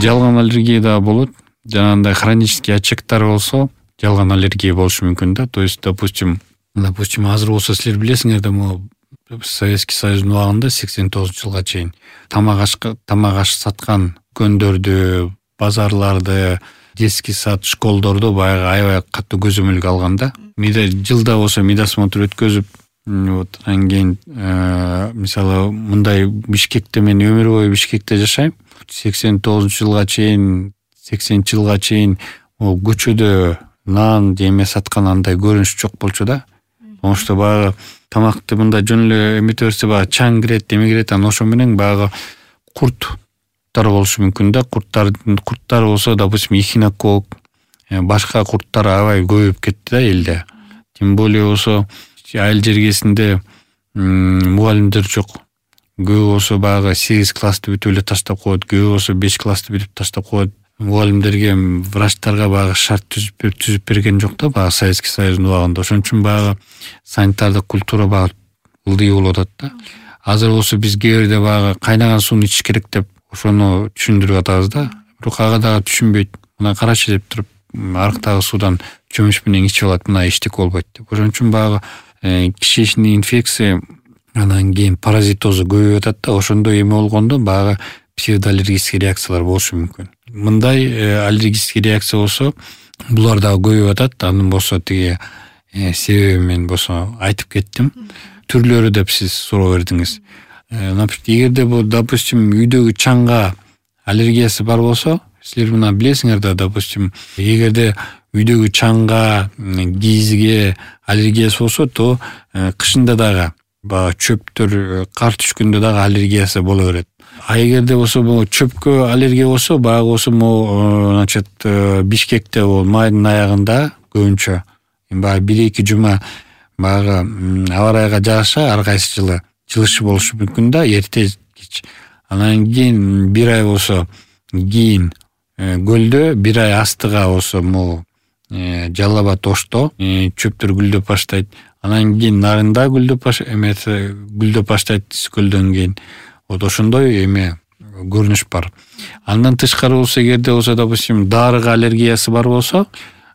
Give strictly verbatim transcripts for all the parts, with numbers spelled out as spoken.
Жалган аллергия да болот. Жанагындай хронический очагдар болсо жалган аллергия болушу мүмкүн да. То есть, допустим, допустим, азыр болсо силер билесиңер да, могу Советский Союздун убагында сексен тогузунчу жылга чейин тамак аш тамак аш саткан көндөрдү, базарларды, детский сад, школдордо баягы аябай катуу көзөмөлгө алганда, мида жылда болсо медосмотр өткөзүп, вот анан кийин мисалы мындай Бишкекте мен өмүр бою Бишкекте жашайм. сексен тогузунчу жылга чейин, сексенинчи жылга чейин о көчөдө нан жеме саткан андай көрүнүш жок болчу да. Потому что баягы тамакты мындай жөн эле эмете берсе баягы чаң кирет, эме кирет, анан ошо менен баягы курттар болушу мүмкүн да. Курттар курттар болсо, допустим, эхинокок, башка курттар аябай көбөйүп кетти да элде. Тем более болсо айыл жергесинде мугалимдер жок. Көбү болсо баягы сегиз классты бүтүп эле таштап коет, көбү болсо беш классты бүтүп таштап коет. Мугалимдерге, врачтарга баягы шарт түзүп түзүп берген жок да, баягы Советский Союздун убагында. Ошон үчүн баягы санитардык культура баягы ылдый болуп атат да. Азыр болсо биз кээ бирде баягы кайнаган сууну ичиш керек деп ошону түшүндүрүп атабыз да. Бирок ага дагы түшүнбөйт. Мына карачы деп туруп, арыктагы суудан чөмүч менен ичип алат, мына эчтеке болбойт деп. Ошон үчүн баягы кишечный инфекция, анан кийин паразитозу көбөйүп атат да. Ошондой эме болгондо баягы псевдоаллергический реакциялар болушу мүмкүн. Мындай аллергический реакция болсо, булар дагы көбөйүп атат. Анын болсо тиги себеби мен болсо айтып кеттим. Түрлөрү деп сиз суроо бердиңиз. Эгерде бул, допустим, үйдөгү чаңга аллергиясы бар болсо, силер мына билесиңер да, допустим, эгерде үйдөгү чаңга, кийизге аллергиясы болсо, то кышында дагы баягы чөптөр, кар түшкөндө дагы аллергиясы боло берет. А эгерде болсо бул чөпкө аллергия болсо, баягы болсо могу, значит, Бишкекте бул майдын аягында көбүнчө баягы бир эки жума баягы аба ырайга жараша ар кайсы жылы жылышы болушу мүмкүн да, эрте кеч. Анан кийин бир ай болсо кийин көлдө, бир ай астыга болсо могу Жалал Абад Ошто чөптөр гүлдөп баштайт. Анан кийин нарында гүлдөп баш эмеси гүлдөп баштайт көлдөн кийин. Вот ошондой эме көрүнүш бар. Андан тышкары болсо, эгерде болсо, допустим, дарыга аллергиясы бар болсо,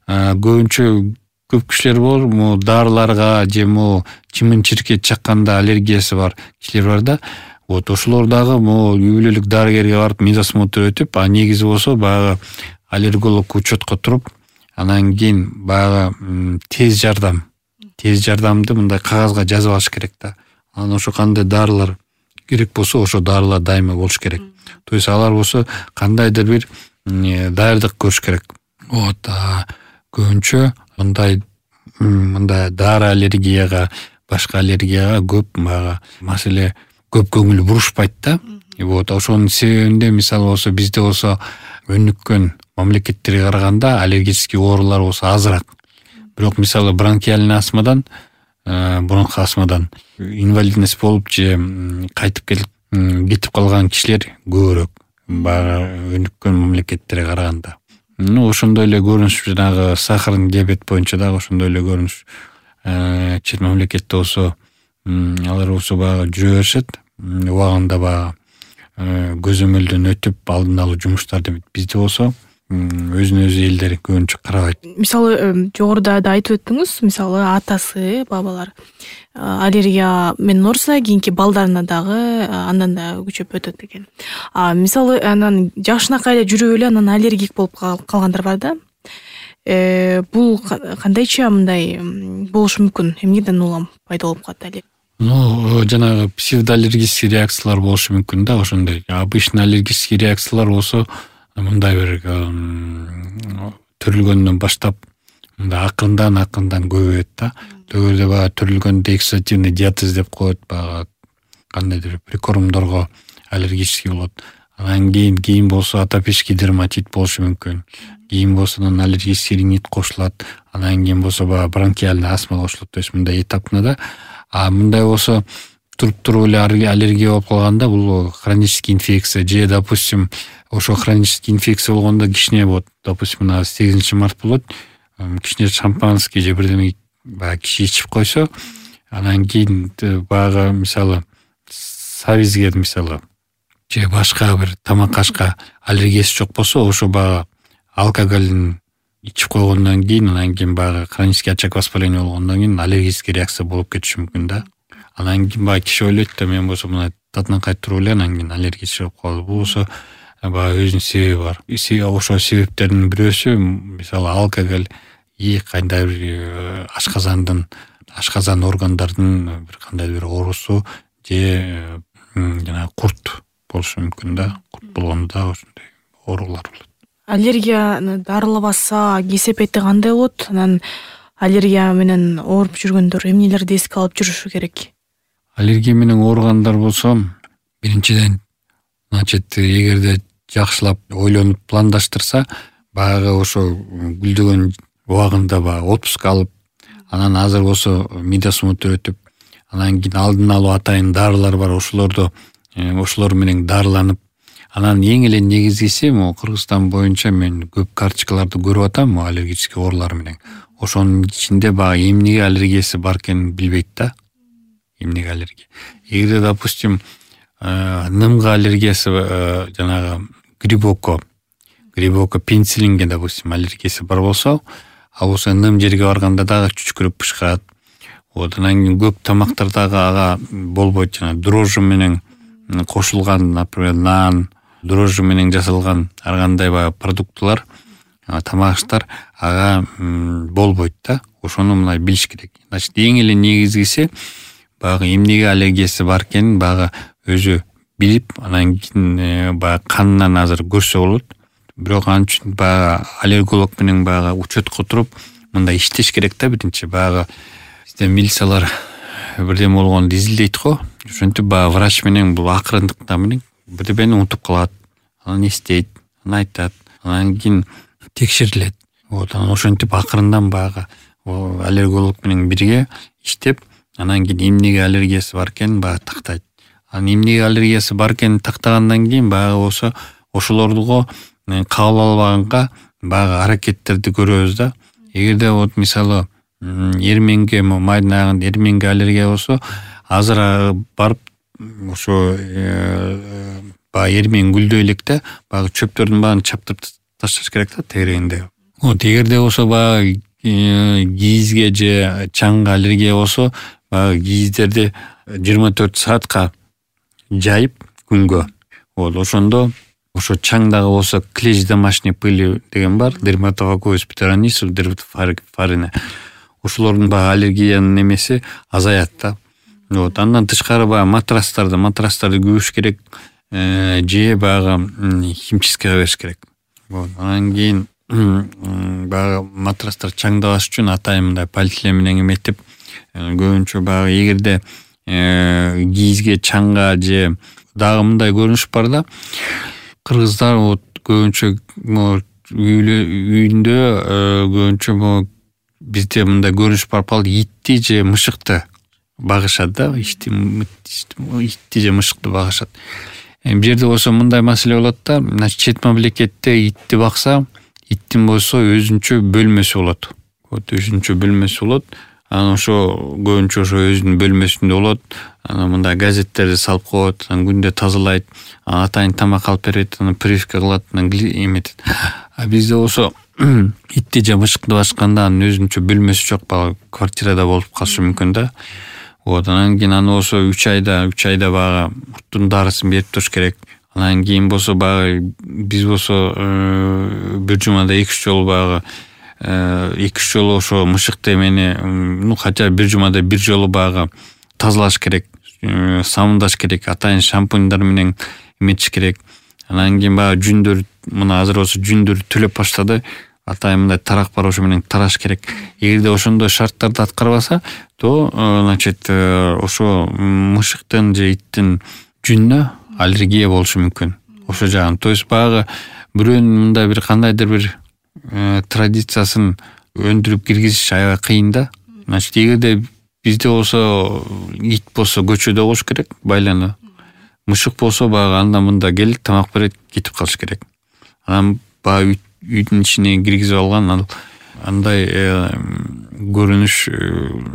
көбүнчө көп кишилер бар, могу дарыларга же могу чымын-чиркет чакканда аллергиясы бар кишилер бар да. Вот ошолор дагы могу үй бүлөлүк дарыгерге барып медосмотр өтүп, а негизи болсо баягы аллерголог учетко туруп, анан кийин баягы тез жардам, тез жардамды мындай кагазга жазып алыш керек да. Анан ошо кандай дарылар керек болсо, ошо дарылар дайыма болуш керек. То есть алар болсо кандайдыр бир даярдык көрүш керек. Вот, көбүнчө мындай мындай дары аллергияга, башка аллергияга көп баягы маселе көп көңүл бурушпайт да. Вот ошонун себебинде мисалы болсо бизде болсо өнүккөн мамлекеттерге караганда аллергический оорулар болсо азыраак. Бирок мисалы бронхиальный астмадан, бронх астмадан инвалидность болуп же кайтып келип кетип калган кишилер көбүрөөк баягы өнүккөн мамлекеттерге караганда. Ну ошондой эле көрүнүш, жанагы сахарный диабет боюнча дагы ошондой эле көрүнүш. Чет мамлекетте болсо алар болсо баягы жүрө беришет, убагында баягы көзөмөлдөн өтүп алдын алуу жумуштар деп. Бизде болсо өзүнө өзү элдер көбүнчө карабайт. Мисалы жогоруда да айтып өттүңүз, мисалы атасы, бабалар аллергия менен ооруса, кийинки балдарына дагы андан да күчөп өтөт экен. А мисалы анан жашынакай эле жүрүп эле анан аллергик болуп калгандар бар да. Э бул кандайча мындай болушу мүмкүн? Эмнеден улам пайда болуп калат аллергия? Ну, жанагы псевдоаллергический реакциялар болушу мүмкүн да, ошондой. Обычный аллергический реакциялар болсо мындай бир төрүлгөндөн баштап мындай акырындан акырындан көбөйөт да. Төгөрдө баягы төрүлгөндө эксудативный диатез деп коет, баягы кандайдыр прикормдорго аллергический болот. Анан кийин кийин болсо атопический дерматит болушу мүмкүн. Кийин болсо анан аллергический ринит кошулат. Анан кийин болсо баягы бронхиальный астма кошулат. То есть мындай этапно да. А мындай болсо туруп туруп эле аллергия болуп калганда бул хронический инфекция же, допустим, ошо хронический инфекция болгондо кичине вот, допустим, мына сегизинчи март болот, кичине шампанский же бирдеме баягы киши ичип койсо, анан кийин баягы мисалы сабизге мисалы же башка бир тамак ашка аллергиясы жок болсо, ошо баягы алкоголдун ичип койгондон кийин, анан кийин баягы хронический очаг воспаления болгондон кийин аллергический реакция болуп кетиши мүмкүн да. Анан кийин баягы киши ойлойт да, мен болсо мына татынакай туруп эле анан кийин аллергия чыгып калды. Бул болсо баягы өзүнүн себеби бар. Ошо себептердин бирөөсү мисалы алкоголь, и кандайдыр бир ашказандын ашказан органдардын бир кандайдыр бир оорусу же жана курт болушу мүмкүн да. Курт болгондо ошондой оорулар болот. Аллергияны дарылабаса кесепети кандай болот? Анан аллергия менен ооруп жүргөндөр эмнелерди эске алып жүрүшү керек? Аллергия менен ооругандар болсо, биринчиден, значит, эгерде жакшылап ойлонуп пландаштырса, баягы ошо гүлдөгөн убагында баягы отпуск алып, анан азыр болсо мида осмотр өтүп, анан кийин алдын алуу атайын дарылар бар, ошолорду ошолор менен дарыланып, анан эң эле негизгиси могу Кыргызстан боюнча мен көп карточкаларды көрүп атам, аллергический оорулар менен. Ошонун ичинде баягы эмнеге аллергиясы бар экенин билбейт да. Эмнеге аллергия? Эгерде, допустим, нымга аллергиясы, жанагы грибокко, грибокко пенициллинге, допустим, аллергиясы бар болсо, ал болсо ным жерге барганда дагы чүчкүрүп бышкырат. Вот, анан кийин көп тамактардагы ага болбойт, жана дрожжи менен кошулган, например, нан, дрожжи менен жасалган ар кандай баягы продуктылар, тамак аштар ага болбойт да. Ошону мына билиш керек. Значит, эң эле негизгиси баягы эмнеге аллергиясы бар экенин баягы өзү билип, анан кийин баягы канынан азыр көрсө болот. Бирок ал үчүн баягы аллерголог менен баягы учетко туруп мындай иштеш керек да. Биринчи баягы бизде милициялар бирдеме болгонду изилдейт го. Ошентип баягы врач менен бул акырындыкта менен бирдемени унутуп калат. Анан эстейт, анан айтат, анан кийин текшерилет. Вот, анан ошентип акырындан баягы аллерголог менен бирге иштеп, анан кийин эмнеге аллергиясы бар экенин баягы тактайт. Анан эмнеге аллергиясы бар экенин тактагандан кийин баягы болсо ошолорду кабыл албаганга баягы аракеттерди көрөбүз да. Эгерде вот мисалы эрменге, майдын аягында эрменге аллергия болсо, азыр барып ошо баягы эрмен гүлдөй электе баягы чөптөрдүн баарын чаптырып ташташ керек да тегерегинде. Вот, эгерде болсо баягы кийизге же чаңга аллергия болсо, баягы кийиздерди жыйырма төрт саатка жайып күнгө. Вот, ошондо ошо чаңдагы болсо клещ домашней пыли деген бар, дерматовакуис птеронис, дерматофарина. Ошолордун баягы аллергиянын немеси азаят да. Вот, андан тышкары баягы матрастарды, матрастарды күбүш керек, же баягы химчисткага бериш керек. Вот, анан кийин баягы матрастар чаңдабаш үчүн атайын мындай полиэтилен менен эметип, көбүнчө баягы эгерде кийизге, чаңга же дагы мындай көрүнүш бар да. Кыргыздар вот көбүнчө үйүндө көбүнчө бизде мындай көрүнүш бар, пал итти же мышыкты багышат да. Итти же мышыкты багышат. Бул жерде болсо мындай маселе болот да. Значит, чет мамлекетте итти бакса, иттин болсо өзүнчө бөлмөсү болот. Вот, өзүнчө бөлмөсү болот. Анан ошо көбүнчө ошо өзүнүн бөлмөсүндө болот. Анан мындай газеттерди салып коет, анан күндө тазалайт, атайын тамак алып берет, анан прививка кылат, анан эметет. А бизде болсо итти же мышыкты башканда анын өзүнчө бөлмөсү жок, баягы квартирада болуп калышы мүмкүн да. Вот, анан кийин аны болсо үч айда, үч айда баягы курттун дарысын берип туруш керек. Анан кийин болсо баягы биз болсо бир жумада эки үч жолу баягы эки үч жолу ошо мышыкты эмени, ну хотя бир жумада бир жолу баягы тазалаш керек, самындаш керек, атайын шампуньдар менен эметиш керек. Анан кийин баягы жүндөр, мына азыр болсо жүндөр төлөп баштады, атайын мындай тарак бар, ошо менен тараш керек. Эгерде ошондой шарттарды аткарбаса, то значит ошо мышыктын же иттин жүнүнө аллергия болушу мүмкүн. Ошо жагын. То есть баягы бирөөнүн мындай бир кандайдыр бир традициясын өндүрүп киргизиш аябай кыйын да. Значит, эгерде бизде болсо ит болсо көчөдө болуш керек, байлануу. Мышык болсо баягы анда мында келип тамак берет, кетип калыш керек. Анан баягы үйдүн ичине киргизип алган ал андай көрүнүш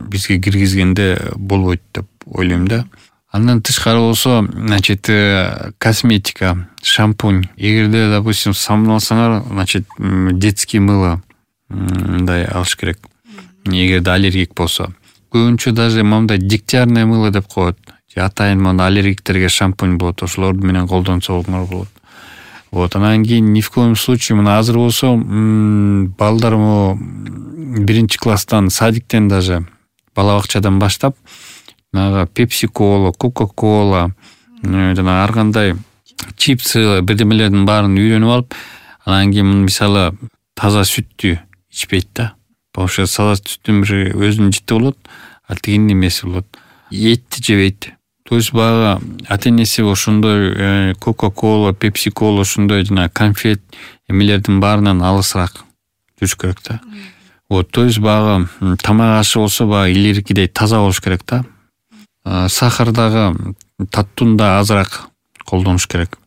бизге киргизгенде болбойт деп ойлойм да. Андан тышкары болсо, значит, косметика, шампунь. Эгерде, допустим, самыналсаңар, значит, детский мыло мындай алыш керек. Эгерде аллергик болсо. Көбүнчө даже моундай дегтярное мыло деп коет. Атайын моундай аллергиктерге шампунь болот, ошолор менен колдонсоңор болот. Вот, анан кийин ни в коем случае мына азыр болсо, балдар могу биринчи класстан, садиктен даже, бала бакчадан баштап, пепси-кола, кока-кола, жана ар кандай чипсы, бирдемелердин баарын үйрөнүп алып, анан кийин мисалы таза сүттү ичпейт да. Ошо таза сүттүн бир өзүнүн жити болот, а тигинин эмеси болот. Этти жебейт. То есть баягы ата-энеси ошондой кока-кола, пепси-кола, ошондой жана конфет эмелердин баарынан алысыраак жүрүш керек да. Вот, то есть баягы тамак ашы болсо баягы илгеркидей таза болуш керек да. Сахар дагы, таттууну да азыраак колдонуш керек.